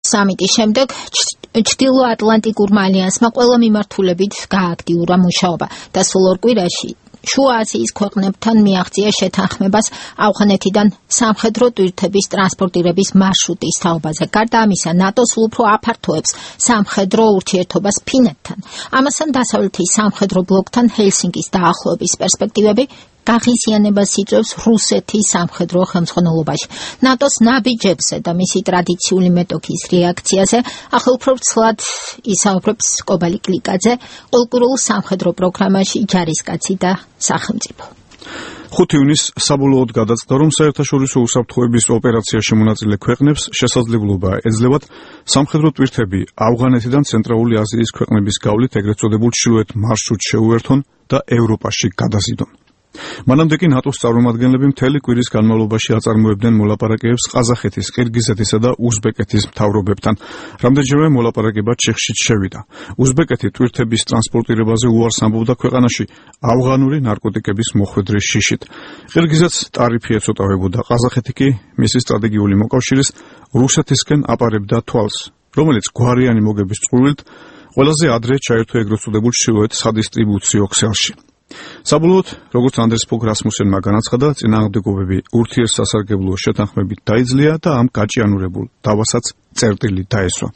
სამიტის შემდეგ ჩრდილოატლანტიკურმა ალიანსმა ყველა მიმართულებით გააქტიურა მუშაობა და სულ ორ კვირაში შუა აზიის ქვეყნებთან მიაღწია შეთანხმებას ავღანეთიდან სამხედრო ტვირთების ტრანსპორტირების მარშრუტის თაობაზე. გარდა ამისა, ნატო სულ უფრო აფართოებს სამხედრო ურთიერთობას ფინეთთან. ამასთან დასავლეთის სამხედრო ბლოკთან ჰელსინკის დაახლოების პერსპექტივები გაღიზიანებას იწვევს რუსეთის სამხედრო ხელმძღვანელობაში. ნატოს ნაბიჯებზე და მისი ტრადიციული მეტოქის რეაქციაზე ახლა უფრო ცლად ისაუბრებს კობალი კლიკაძე, ყოველკვირულ სამხედრო პროგრამაში ჯარისკაცი და სახელმწიფო. 5 ივნისს საბოლოოდ გადაწყდა, რომ საერთაშორისო უსაფრთხოების ოპერაციაში მონაწილე ქვეყნებს შესაძლებლობა ეძლევათ სამხედრო ტვირთები ავღანეთიდან ცენტრალური აზიის ქვეყნების გავლით ეგრეთ წოდებულ ჩრდილოეთ მარშრუტს შეუერთონ და ევროპაში გადაზიდონ. მანამდე კი ნატოს წარმომადგენლები მთელი კვირის განმავლობაში აწარმოებდნენ მოლაპარაკებებს ყაზახეთის, ყირგიზეთისა და უზბეკეთის მთავრობებთან. რამდენჯერმე მოლაპარაკება ჩიხშიც შევიდა. უზბეკეთი ტვირთების ტრანსპორტირებაზე უარს ამბობდა ქვეყანაში ავღანური ნარკოტიკების მოხვედრის შიშით. ყირგიზეთს ტარიფი ეწოტავებოდა, ყაზახეთი კი მისი სტრატეგიული მოკავშირის რუსეთისკენ აპარებდა თვალს, რომელიც გვარიანი მოგების წყურვილით ყველაზე ადრე ჩაერთო ეგრეთ წოდებულ ჩრდილოეთ სადისტრიბუციო ქსელში. საბოლოოდ, როგორც ანდრეს ფოგ რასმუსენმა განაცხადა, წინააღმდეგობები ურთიერთსასარგებლო შეთანხმებით დაიძლია და ამ გაჭიანურებულ დავასაც წერტილი დაესვა.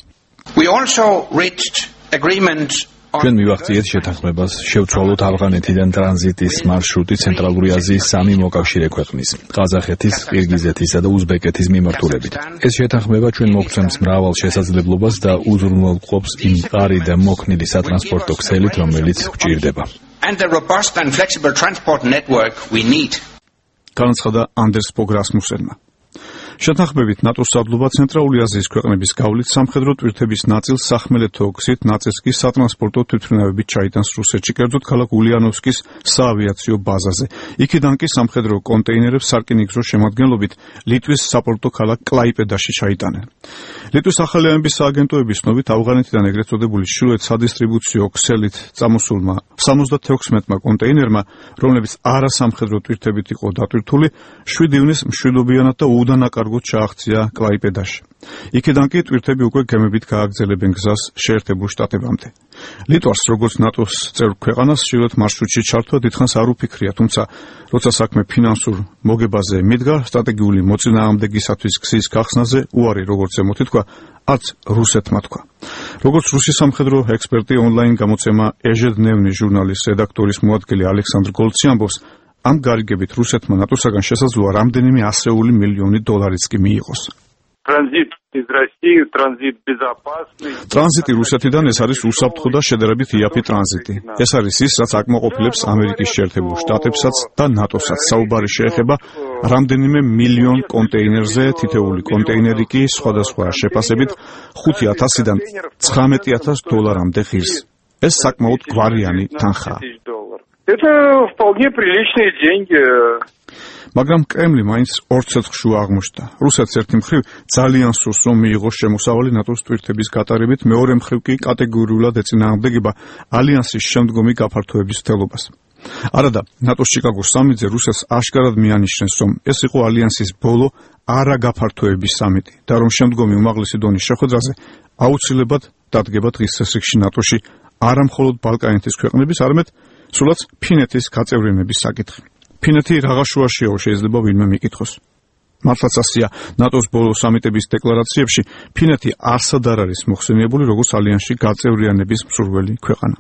ჩვენ მივახციეთ შეთანხმებას, შევცვალოთ ავღანეთიდან ტრანზიტის მარშრუტი ცენტრალური აზიის 3 მოკავშირე ქვეყნის, ყაზახეთის, ყირგიზეთისა და უზბეკეთის მიმართულებით. ეს შეთანხმება ჩვენ მოგცემს მრავალ შესაძლებლობას და უზრუნველყოფს იმ მყარი და მოქნილი სატრანსპორტო ქსელით, რომელიც გვჭირდება. And the robust and flexible transport network we need. განაცხადა ანდერს ფოგ რასმუსენმა. შეთანხმებით ნატოს საბლობა ცენტრალური აზიის ქვეყნების გავლით სამხედრო ტვირთების ნაწილს სახმელეთო გზით, ნაწილს კი სატრანსპორტო თვითმფრინავებით ჩაიტანს რუსეთში, კერძოდ ქალაქ ულიანოვსკის საავიაციო ბაზაზე. იქიდან კი სამხედრო კონტეინერებს სარკინიგზო შემადგენლობით ლიტვის საპორტო ქალაქ კლაიპედაში ჩაიტანენ. ლიტვის ახალი ამბის სააგენტოების ცნობით, ავღანეთიდან ეგრეთ წოდებული ჩრდილოეთ სადისტრიბუციო ქსელით წამოსულმა 76-მა კონტეინერმა, რომლებიც არასამხედრო ტვირთებით იყო დატვირთული, 7 ივნისს მშვიდობიანად და უდანაკარგოდ ჩააღწია კლაიპედაში. იქიდან კი ტვირთები უკვე გემებით გააგრძელებენ გზას შეერთებულ შტატებამდე. ლიტვას, როგორც ნატოს წევრ ქვეყანას, ჩრდილოეთ მარშრუტში ჩართვა დიდხანს არ უფიქრია, თუმცა როცა საქმე ფინანსურ მოგებაზე მიდგა, სტრატეგიული მოწინააღმდეგისათვის გზის გახსნაზე უარი, როგორც ემოთითქვა, არც რუსეთმა თქვა. როგორც რუსი სამხედრო ექსპერტი ონლაინ გამოცემა ეჟედნევნი ჟურნალის რედაქტორის მოადგილე ალექსანდრ გოლცი ამბობს, ამ გარიგებით რუსეთმა ნატოსაგან შესაძლოა რამდენიმე ასეული მილიონი დოლარიც კი მიიღოს. ტრანზიტი რუსეთიდან ეს არის უსაფრთხო და შედარებით იაფი ტრანზიტი. ეს არის ის, რაც აკმაყოფილებს ამერიკის შეერთებულ შტატებსაც და ნატოსაც. საუბარი შეეხება რამდენიმე მილიონ კონტეინერზე, თითოეული კონტეინერი კი სხვადასხვა შეფასებით 5,000-დან 19,000 დოლარამდე ღირს. ეს საკმაოდ გვარიანი თანხაა. Это вполне приличные деньги. მაგრამ კრემლი მაინც ორ ცეცხლშუა აღმოჩნდა. რუსეთს ერთი მხრივ ძალიან სურს, რომ მიიღოს შემოსავალი ნატოს ტვირთების გატარებით, მეორე მხრივ კი კატეგორიულად ეწინააღმდეგება ალიანსის შემდგომი გაფართოების მცდელობას. არადა, ნატოს ჩიკაგოს სამიტზე რუსეთს აშკარად მიანიშნეს, რომ ეს იყო ალიანსის ბოლო არაგაფართოების სამიტი და რომ შემდგომი უმაღლესი დონის შეხვედრაზე აუცილებლად დადგება დღის წესრიგში ნატოში არა მხოლოდ ბალკანეთის ქვეყნების, არამედ სულაც ფინეთის გაწევრიანების საკითხი. ფინეთი რაღა შუაშიაო შეიძლება ვინმე მიკითხოს. მართლაც ასია, ნატოს ბოლო სამიტების დეკლარაციებში ფინეთი არსად არ არის მოხსენიებული როგორც ალიანსში გაწევრიანების მსურველი ქვეყანა.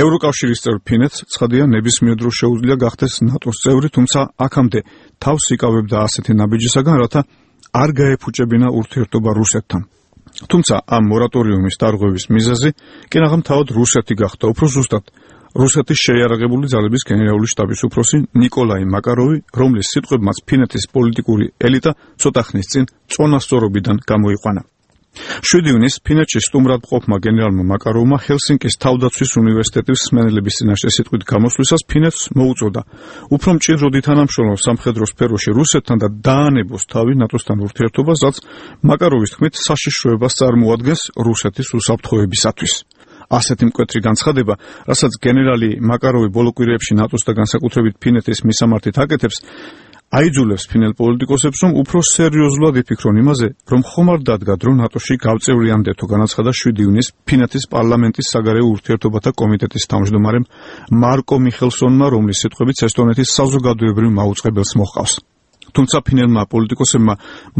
ევროკავშირის წევრ ფინეთს ცხადია ნებისმიერ დროს შეუძლია გახდეს ნატოს წევრი, თუმცა აქამდე თავს იკავებდა ასეთი ნაბიჯისაგან, რათა არ გაეფუჭებინა ურთიერთობა რუსეთთან. თუმცა ამ მორატორიუმის დარღვევის მიზეზი კი რაღაც თავად რუსეთი გახდა, უფრო ზუსტად რუსეთის შეიარაღებული ძალების გენერალური შტაბის უფროსი ნიკოლაი მაკაროვი, რომლის სიტყვებმაც ფინეთის პოლიტიკური ელიტა ცოტა ხნის წინ წონასწორობიდან გამოიყვანა. 7 ივნისს ფინეთში სტუმრად მყოფმა გენერალმა მაკაროვმა ჰელსინკის თავდაცვის უნივერსიტეტის მსმენელების წინაშე სიტყვით გამოსვლისას ფინეთს მოუწოდა უფრო მჭიდროდი თანამშრომლობა სამხედრო სფეროში რუსეთთან და დაანებოს თავი ნატოსთან ურთიერთობას, რაც მაკაროვის თქმით საშიშროებას წარმოადგენს რუსეთის უსაფრთხოებისათვის. ასეთი მკვეთრი განცხადება, რასაც გენერალი მაკაროვი ბოლო კვირებში ნატოს და განსაკუთრებით ფინეთის მისამართით აკეთებს, აიძულებს ფინელ პოლიტიკოსებს, რომ უფრო სერიოზულად იფიქრონ იმაზე, რომ ხომ არ დადგათ, რომ ნატოში გავწევრიანდეთო, განაცხადა 7 ივნისს ფინეთის პარლამენტის საგარეო ურთიერთობათა კომიტეტის თავმჯდომარემ მარკო მიხელსონმა, რომლის სიტყვებით ესტონეთის საზოგადოებრივ მაუწყებელს მოჰყავს. თუმცა ფინელმა პოლიტიკოსებმა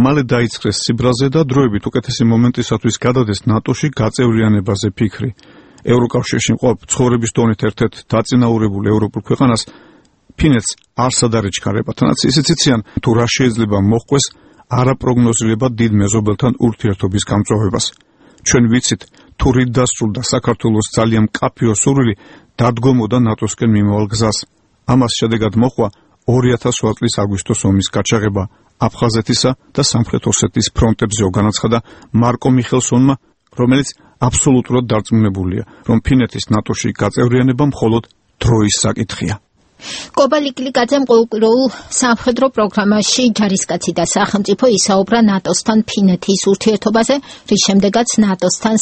მალე დაიწყეს სიბრაზე და დროებით უკეთესი მომენტისათვის გადადეს ნატოში გაწევრიანებაზე ფიქრი. ევროკავშირში მყოფ ცხოვრების დონით ერთ-ერთ დაწინაურებულ ევროპულ ქვეყანას ფინეთს არსად არ ეჩქარება, თანაც ისიც იციან, თუ რა შეიძლება მოჰყვეს არაპროგნოზირებად დიდ მეზობელთან ურთიერთობის გამწვავებას. ჩვენ ვიცით, თუ რით დასრულდა საქართველოს ძალიან მკაფიო სურვილი დადგომოდა ნატოსკენ მიმავალ გზას. ამას შედეგად მოჰყვა 2008 წლის აგვისტოს ომის გაჩაღება აფხაზეთისა და სამხრეთ ოსეთის ფრონტებზეო, განაცხადა მარკო მიხელსონმა, რომელიც აბსოლუტურად დარწმუნებულია, რომ ფინეთის ნატოში გაწევრიანება მხოლოდ დროის საკითხია. კობა ლიკლიკაძემ ყოველკვირეულ სამხედრო პროგრამაში ჯარისკაცი და სახელმწიფო ისაუბრა ნატოსთან ფინეთის ურთიერთობაზე, რის შემდეგაც ნატოსთან